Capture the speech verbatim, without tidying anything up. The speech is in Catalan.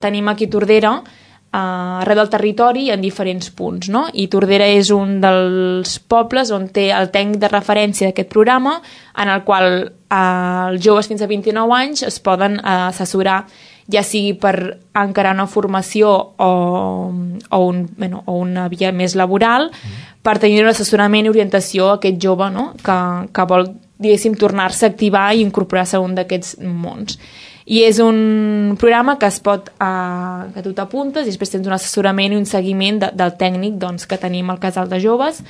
tenim aquí Tordera, Uh, arreu del territori en diferents punts, no? I Tordera és un dels pobles on té el tècnic de referència d'aquest programa, en el qual uh, els joves fins a vint-i-nou anys es poden uh, assessorar, ja sigui per encarar una formació o, o, un, bueno, o una via més laboral, mm. per tenir un assessorament i orientació a aquest jove, no? que, que vol, diguéssim, tornar-se a activar i incorporar-se a un d'aquests mons. I és un programa que es pot, eh, que tu t'apuntes i després tens un assessorament i un seguiment de, del tècnic doncs, que tenim al casal de joves